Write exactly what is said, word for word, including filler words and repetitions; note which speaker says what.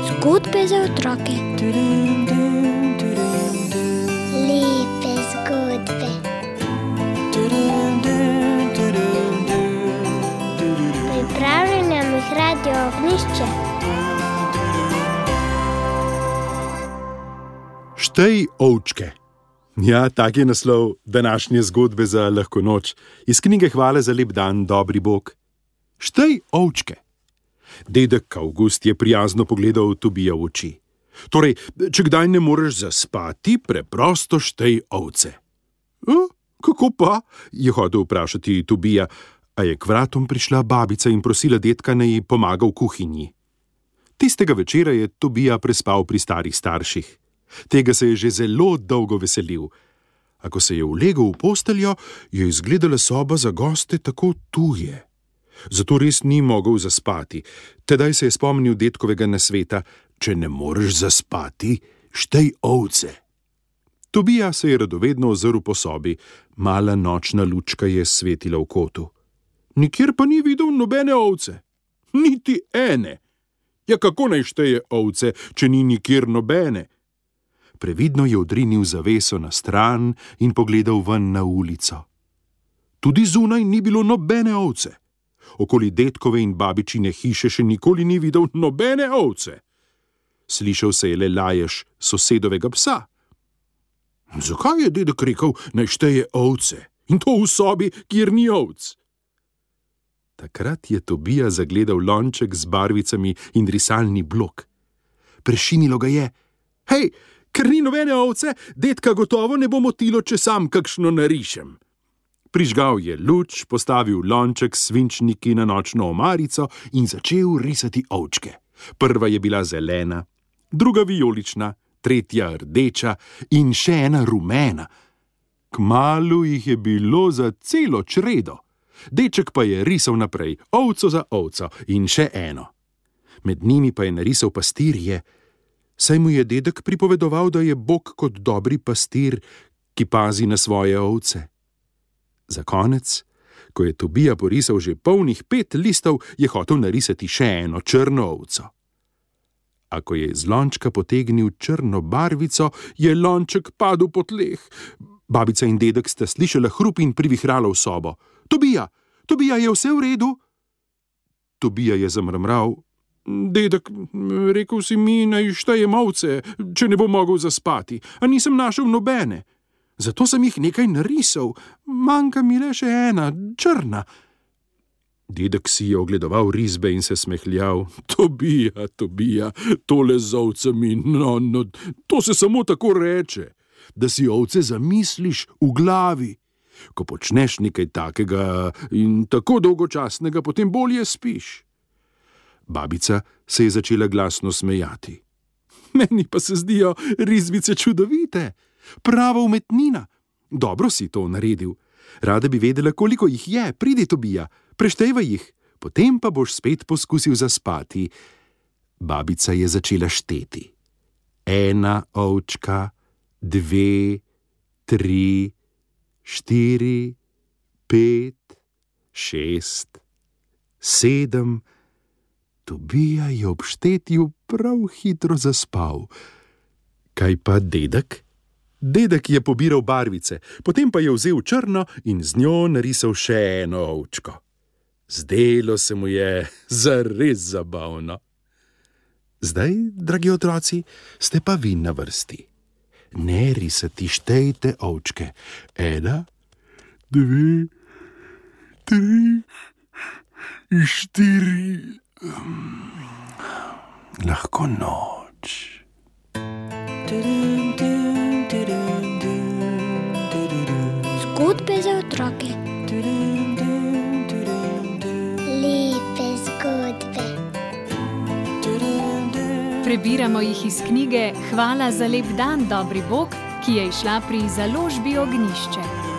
Speaker 1: Zgodbe za otroke.
Speaker 2: Lepe zgodbe. Pripravlja nam jih Radio Ognjišče.
Speaker 3: Štej ovčke. Ja, tak je naslov današnje zgodbe za lahko noč iz knjige Hvala za lep dan, dobri Bog. Štej ovčke. Dedek Avgust je prijazno pogledal Tobija v oči. Torej, če kdaj ne moreš zaspati, preprosto štej ovce. E, kako pa? Je hotel vprašati Tobija, a je k vratom prišla babica in prosila dedka, naj ji pomaga v kuhinji. Tistega večera je Tobija prespal pri starih starših. Tega se je že zelo dolgo veselil. A ko se je ulegel v posteljo, je izgledala soba za goste tako tuje. Zato res ni mogel zaspati. Tedaj se je spomnil dedkovega nasveta: če ne moreš zaspati, štej ovce. Tobija se je radovedno ozrl po sobi. Mala nočna lučka je svetila v kotu. Nikjer pa ni videl nobene ovce. Niti ene. Ja, kako naj šteje ovce, če ni nikjer nobene? Previdno je odrinil zaveso na stran in pogledal ven na ulico. Tudi zunaj ni bilo nobene ovce. Okoli dedkove in babičine hiše še nikoli ni videl nobene ovce. Slišal se je le lajež sosedovega psa. Zakaj je dedek rekel, naj šteje ovce? In to v sobi, kjer ni ovc? Takrat je Tobija zagledal lonček z barvicami in risalni blok. Prešinilo ga je: hej, ker ni nobene ovce, dedka gotovo ne bo motilo, če sam kakšno narišem. Prižgal je luč, postavil lonček s svinčniki na nočno omarico in začel risati ovčke. Prva je bila zelena, druga vijolična, tretja rdeča in še ena rumena. Kmalu jih je bilo za celo čredo. Deček pa je risal naprej, ovco za ovco in še eno. Med njimi pa je narisal pastirje, saj mu je dedek pripovedoval, da je Bog kot dobri pastir, ki pazi na svoje ovce. Za konec, ko je Tobija porisal že polnih pet listov, je hotel narisati še eno črno ovco. A ko je iz lončka potegnil črno barvico, je lonček padel po tleh. Babica in dedek sta slišala hrup in privihrala v sobo. Tobija, Tobija, je vse v redu? Tobija je zamrmral. Dedek, rekel si mi, naj štejem ovce, če ne bo mogel zaspati, a nisem našel nobene. Zato sem jih nekaj narisal, manjka mi le še ena, črna. Dedek si je ogledoval risbe in se smehljal. Tobija, Tobija, tole z ovcami, no, no, to se samo tako reče, da si ovce zamisliš v glavi. Ko počneš nekaj takega in tako dolgočasnega, potem bolje spiš. Babica se je začela glasno smejati. Meni pa se zdijo risbice čudovite. Prava umetnina. Dobro si to naredil. Rada bi vedela, koliko jih je. Pridi, Tobija, preštejvaj jih, potem pa boš spet poskusil zaspati. Babica je začela šteti. Ena ovčka, dve, tri, štiri, pet, šest, sedem. Tobija je ob štetju prav hitro zaspal. Kaj pa dedek? Dedek je pobiral barvice, potem pa je vzel črno in z njo narisal še eno ovčko. Zdelo se mu je zares zabavno. Zdaj, dragi otroci, ste pa vi na vrsti. Ne risati, štejte ovčke. Ena, dve, tri, štiri. Lahko noč.
Speaker 1: Zgodbe za otroke.
Speaker 2: Lepe zgodbe.
Speaker 4: Prebiramo jih iz knjige Hvala za lep dan, dobri Bog, ki je izšla pri založbi Ognjišče.